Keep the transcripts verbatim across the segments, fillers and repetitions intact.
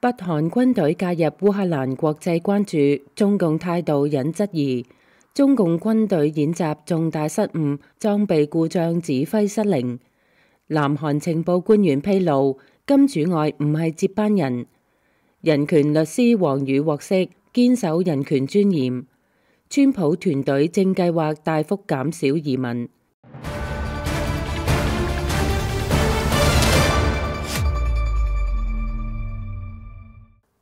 北韓軍隊介入烏克蘭國際關注，中共態度引質疑。中共軍隊演習重大失誤，裝備故障，指揮失靈。南韓情報官員披露，金主愛唔係接班人。人權律師王宇獲釋，堅守人權尊嚴。川普團隊正計劃大幅減少移民。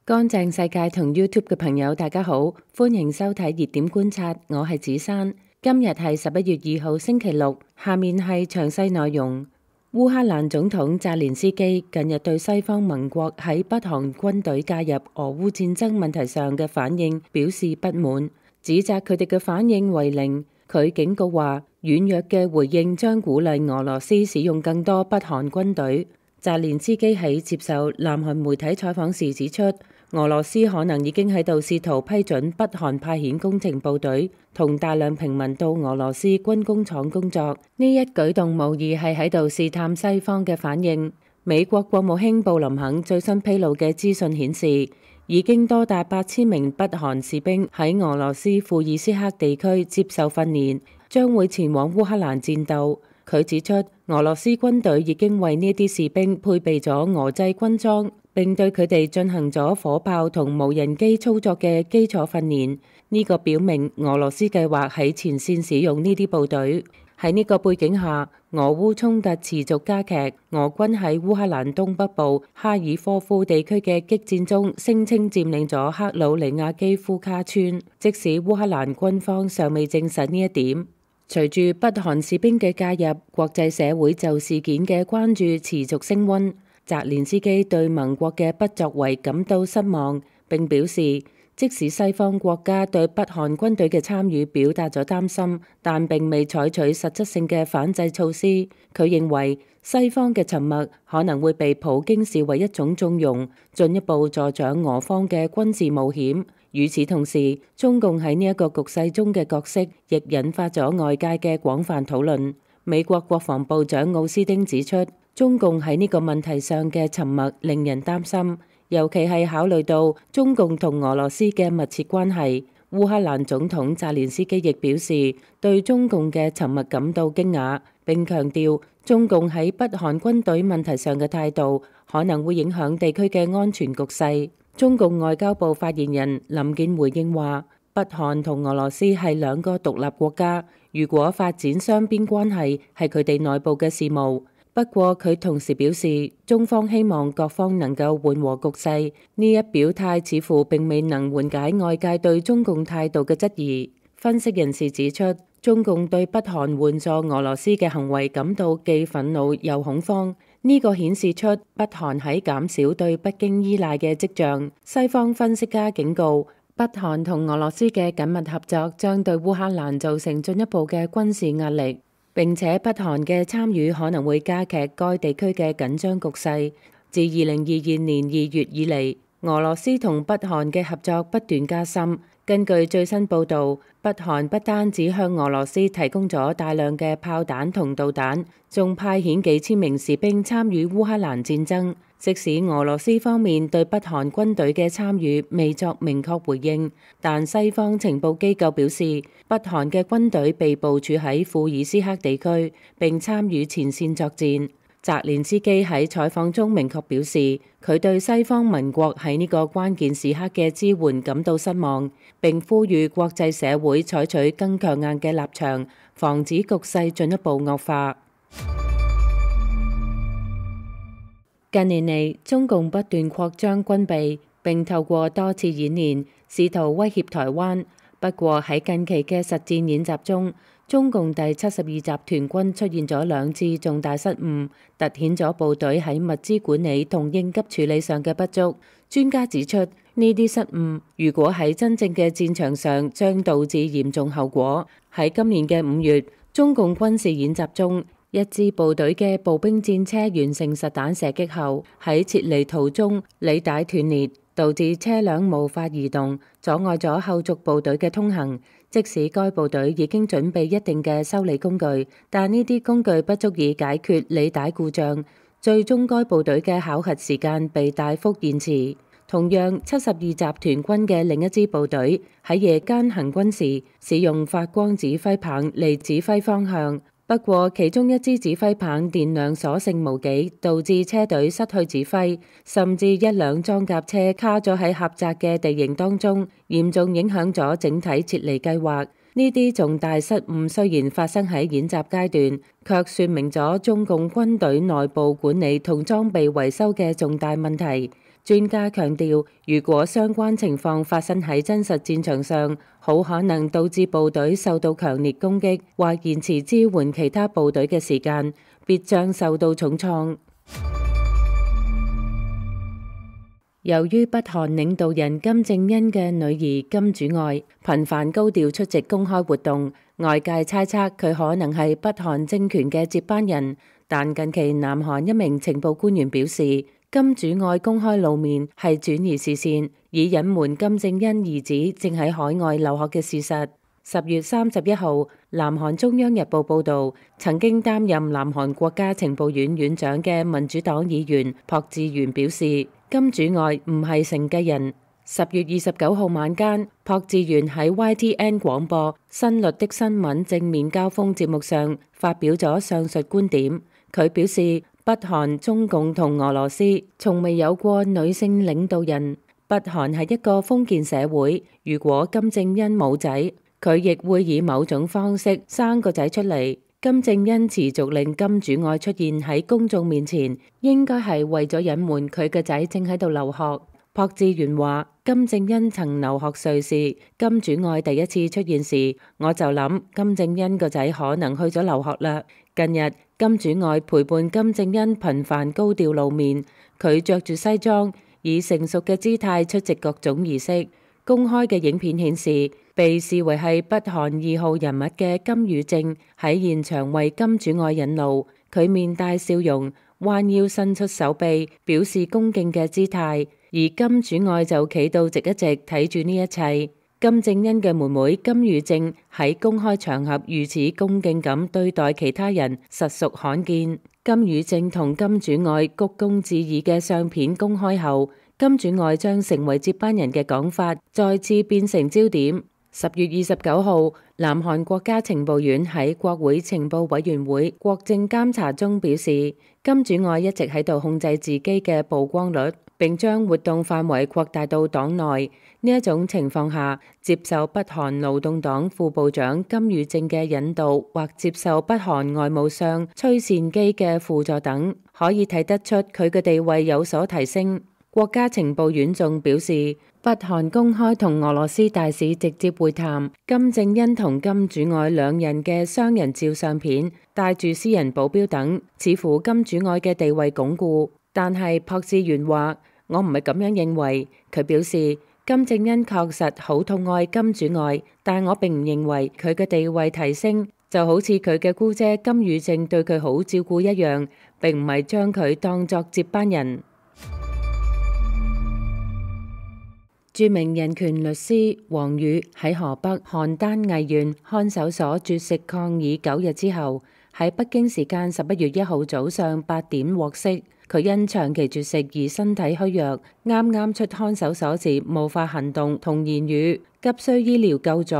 乾淨世界同 YouTube 嘅朋友，大家好，歡迎收睇熱點觀察，我係子珊。今日係十一月二號星期六，下面係詳細內容。烏克蘭總統澤連斯基近日對西方盟國喺北韓軍隊介入俄烏戰爭問題上嘅反應表示不滿，指責佢哋嘅反應為零。佢警告話，軟弱嘅回應將鼓勵俄羅斯使用更多北韓軍隊。澤連斯基喺接受南韓媒體採訪時指出，俄羅斯可能已經喺度試圖批准北韓派遣工程部隊同大量平民到俄羅斯軍工廠工作。呢一舉動無疑係喺度試探西方嘅反應。美國國務卿布林肯最新披露嘅資訊顯示，已經多達八千名北韓士兵喺俄羅斯庫爾斯克地區接受訓練，將會前往烏克蘭戰鬥。佢指出，俄羅斯軍隊已經為呢啲士兵配備咗俄製軍裝，並對佢哋進行咗火炮同無人機操作嘅基礎訓練。呢個表明俄羅斯計劃喺前線使用呢啲部隊。喺呢個背景下，俄烏衝突持續加劇。俄軍喺烏克蘭東北部哈爾科夫地區嘅激戰中，聲稱佔領咗克魯尼亞基夫卡村，即使烏克蘭軍方尚未證實呢一點。隨住北韓士兵嘅介入，國際社會就事件嘅關注持續升溫。澤連斯基對盟國嘅不作為感到失望，並表示，即使西方國家對北韓軍隊嘅參與表達咗擔心，但並未採取實質性嘅反制措施。佢認為西方嘅沉默可能會被普京視為一種縱容，進一步助長俄方嘅軍事冒險。與此同時，中共喺呢一個局勢中嘅角色亦引發咗外界嘅廣泛討論。美國國防部長奧斯汀指出，中共喺呢個問題上嘅沉默令人擔心，尤其係考慮到中共同俄羅斯嘅密切關係。烏克蘭總統澤連斯基亦表示對中共嘅沉默感到驚訝，並強調中共喺北韓軍隊問題上嘅態度可能會影響地區嘅安全局勢。中共外交部發言人林健回應話，北韓同俄羅斯係兩個獨立國家，如果發展雙邊關係係佢哋內部嘅事務。不過佢同時表示，中方希望各方能夠緩和局勢。呢一表態似乎並未能緩解外界對中共態度嘅質疑。分析人士指出，中共對北韓援助俄羅斯嘅行為感到既憤怒又恐慌。呢個顯示出北韓喺減少對北京依賴嘅跡象。西方分析家警告，北韓同俄羅斯嘅緊密合作將對烏克蘭造成進一步嘅軍事壓力，並且北韓嘅參與可能會加劇該地區嘅緊張局勢。自二零二二年二月以嚟，俄羅斯同北韓嘅合作不斷加深。根據最新報導，北韓不單止向俄羅斯提供咗大量嘅炮彈同導彈，仲派遣幾千名士兵參與烏克蘭戰爭。即使俄羅斯方面對北韓軍隊嘅參與未作明確回應，但西方情報機構表示，北韓嘅軍隊被部署喺庫爾斯克地區，並參與前線作戰。澤連斯基喺採訪中明確表示，佢對西方盟國喺呢個關鍵時刻嘅支援感到失望，並呼籲國際社會採取更強硬嘅立場，防止局勢進一步惡化。近年嚟，中共不斷擴張軍備，並透過多次演練試圖威脅台灣。不過喺近期嘅實戰演習中，中共第七十二集團軍出現咗兩次重大失誤，凸顯咗部隊喺物資管理同應急處理上嘅不足。專家指出，呢啲失誤如果喺真正嘅戰場上，將導致嚴重後果。喺今年嘅五月，中共軍事演習中，一支部隊嘅步兵戰車完成實彈射擊後，喺撤離途中履帶斷裂，導致車輛無法移動，阻礙咗後續部隊嘅通行。即使該部隊已經準備一定嘅修理工具，但呢啲工具不足以解決履帶故障，最終該部隊嘅考核時間被大幅延遲。同樣，七十二集團軍嘅另一支部隊喺夜間行軍時，使用發光指揮棒嚟指揮方向。不過，其中一支指揮棒電量所剩無幾，導致車隊失去指揮，甚至一輛裝甲車卡咗喺狹窄嘅地形當中，嚴重影響咗整體撤離計劃。呢啲重大失誤雖然發生喺演習階段，卻說明咗中共軍隊內部管理同裝備維修嘅重大問題。專家強調，如果相關情況發生喺真實戰場上，好可能導致部隊受到強烈攻擊，或延遲支援其他部隊嘅時間，必將受到重創。由於北韓領導人金正恩嘅女兒金主愛頻繁高調出席公開活動，外界猜測佢可能係北韓政權嘅接班人。但近期南韓一名情報官員表示，金主愛公開露面係轉移視線，以隱瞞金正恩兒子正喺海外留學嘅事實。十月三十一號，南韓中央日報報道，曾經擔任南韓國家情報院院長嘅民主黨議員朴智元表示，金主愛唔係承繼人。十月二十九號晚間，朴智元喺 Y T N 廣播新律的新聞正面交鋒節目上發表咗上述觀點。佢表示，北韓、中共同俄羅斯從未有過女性領導人。北韓係一個封建社會，如果金正恩冇仔，佢亦會以某種方式生個仔出嚟。金正恩持續令金主愛出現喺公眾面前，應該係為咗隱瞞佢嘅仔正喺度留學。朴智元話，金正恩曾留學瑞士，金主愛第一次出現時，我就諗金正恩個仔可能去咗留學啦。近日，金主愛陪伴金正恩頻繁高調露面，佢着住西裝，以成熟嘅姿態出席各種儀式。公開嘅影片顯示，被視為係北韓二號人物嘅金與正喺現場為金主愛引路，佢面帶笑容，彎腰伸出手臂，表示恭敬嘅姿態。而金主愛就企到直一直睇住呢一切。金正恩嘅妹妹金與正喺公開場合如此恭敬咁對待其他人，實屬罕見。金與正同金主愛鞠躬致意嘅相片公開後，金主愛將成為接班人嘅講法再次變成焦點。十月二十九號，南韓國家情報院喺國會情報委員會國政監察中表示，金主愛一直喺度控制自己嘅曝光率，並將活動範圍擴大到黨內。呢一種情況下，接受北韓勞動黨副部長金與正嘅引導，或接受北韓外務相崔善基嘅輔助等，可以睇得出佢嘅地位有所提升。國家情報院仲表示，北韓公開同俄羅斯大使直接會談，金正恩同金主愛兩人嘅雙人照相片，帶住私人保鏢等，似乎金主愛嘅地位鞏固。但係朴智元話，我唔係咁樣認為。佢表示，金正恩確實好痛愛金主愛，但我並唔認為佢嘅地位提升就好似佢嘅姑姐金與正對佢好照顧一樣，並唔係將佢當作接班人。著名人權律師王宇喺河北邯鄲藝縣看守所絕食抗議九日之後，喺北京時間十一月一號早上八點獲釋。佢因長期絕食而身體虛弱，啱啱出看守所時無法行動同言語，急需醫療救助。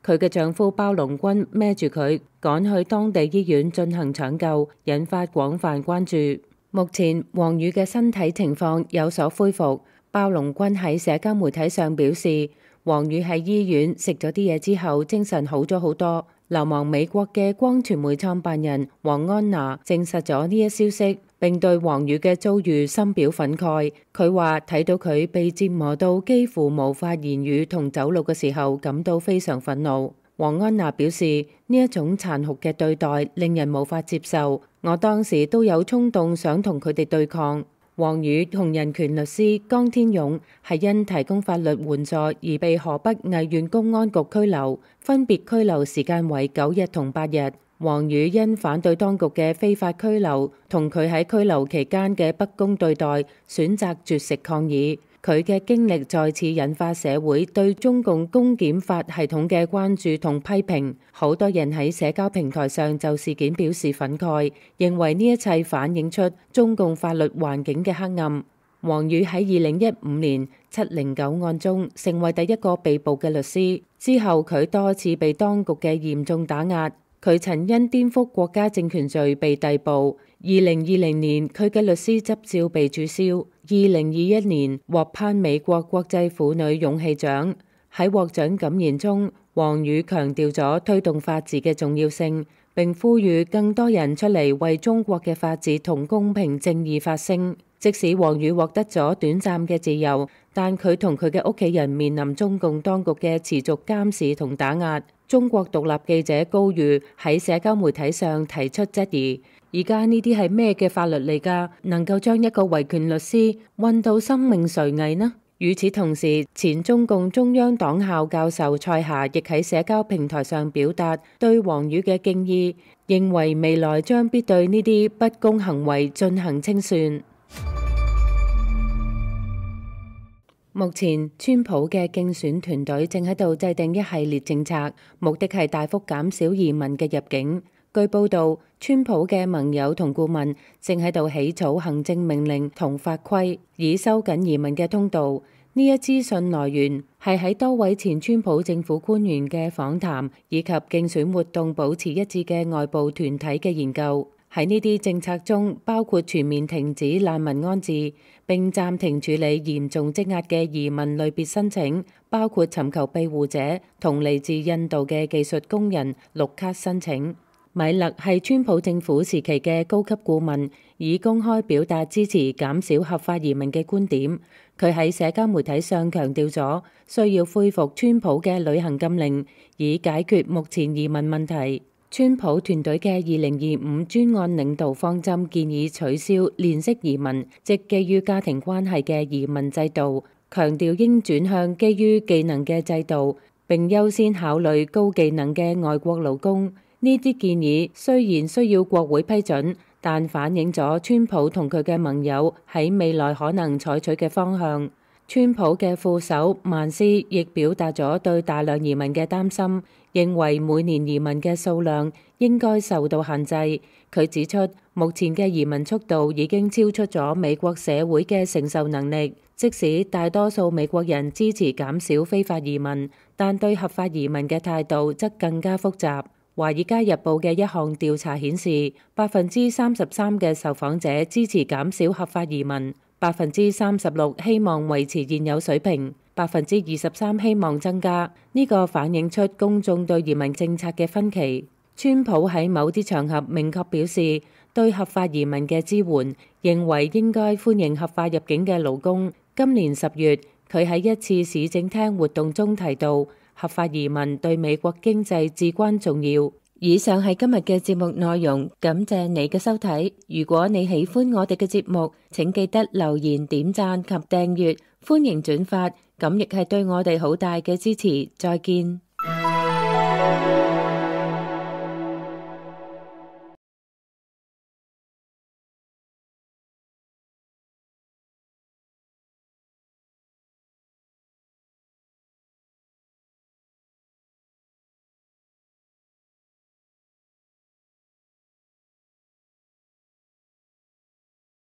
佢嘅丈夫包龍軍孭住佢趕去當地醫院進行搶救，引發廣泛關注。目前王宇嘅身體情況有所恢復。包龍軍喺社交媒體上表示，王宇喺醫院食咗啲嘢之後，精神好咗好多。流亡美國嘅光傳媒創辦人黃安娜證實咗呢一消息，並對王宇嘅遭遇深表憤慨。佢話睇到佢被折磨到幾乎無法言語同走路嘅時候，感到非常憤怒。黃安娜表示，呢一種殘酷嘅對待令人無法接受，我當時都有衝動想同佢哋對抗。王宇同人權律師江天勇係因提供法律援助而被河北藝縣公安局拘留，分別拘留時間為九日同八日。王宇因反對當局嘅非法拘留同佢喺拘留期間嘅不公對待，選擇絕食抗議。佢嘅經歷再次引發社會對中共公檢法系統嘅關注同批評，好多人喺社交平台上就事件表示憤慨，認為呢一切反映出中共法律環境嘅黑暗。王宇喺二零一五年七零九案中成為第一個被捕嘅律師，之後佢多次被當局嘅嚴重打壓。佢曾因顛覆國家政權罪被逮捕。二零二零年佢嘅律師執照被註銷。二零二一年獲頒美國國際婦女勇氣獎。喺獲獎感言中，王宇強調咗推動法治嘅重要性，並呼籲更多人出嚟為中國嘅法治同公平正義發聲。即使王宇獲得咗短暫嘅自由，但佢同佢嘅屋企人面臨中共當局嘅持續監視同打壓。中國獨立記者高瑜喺社交媒體上提出質疑：而家呢啲係咩嘅法律嚟㗎？能夠將一個維權律師運到生命垂危呢？與此同時，前中共中央黨校教授蔡霞亦喺社交平台上表達對王宇嘅敬意，認為未來將必對呢啲不公行為進行清算。目前，川普嘅競選團隊正喺度制定一系列政策，目的係大幅減少移民嘅入境。據報道，川普嘅盟友同顧問正喺度起草行政命令同法規，以收緊移民嘅通道。呢一資訊來源係喺多位前川普政府官員嘅訪談，以及競選活動保持一致嘅外部團體嘅研究。喺呢啲政策中，包括全面停止難民安置，並暫停處理嚴重積壓嘅移民類別申請，包括尋求庇護者同嚟自印度嘅技術工人綠卡申請。米勒係川普政府時期嘅高級顧問，已公開表達支持減少合法移民嘅觀點。佢喺社交媒體上強調咗需要恢復川普嘅旅行禁令，以解決目前移民問題。川普團隊嘅二零二五專案領導方針建議取消連式移民，即基於家庭關係嘅移民制度，強調應轉向基於技能嘅制度，並優先考慮高技能嘅外國勞工。呢啲建議雖然需要國會批准，但反映咗川普同佢嘅盟友喺未來可能採取嘅方向。川普嘅副手曼斯亦表達咗對大量移民嘅擔心，認為每年移民嘅數量應該受到限制。佢指出，目前嘅移民速度已經超出咗美國社會嘅承受能力。即使大多數美國人支持減少非法移民，但對合法移民嘅態度則更加複雜。《華爾街日報》嘅一項調查顯示，百分之三十三嘅受訪者支持減少合法移民，百分之三十六希望維持現有水平，百分之二十三希望增加。呢個反映出公眾對移民政策嘅分歧。川普喺某啲場合明確表示對合法移民嘅支援，認為應該歡迎合法入境嘅勞工。今年十月，佢喺一次市政廳活動中提到，合法移民對美國經濟至關重要。以上係今日嘅節目內容，感謝你嘅收睇。如果你喜歡我哋嘅節目，請記得留言、點讚及訂閱，歡迎轉發，咁亦係對我哋好大嘅支持。再見。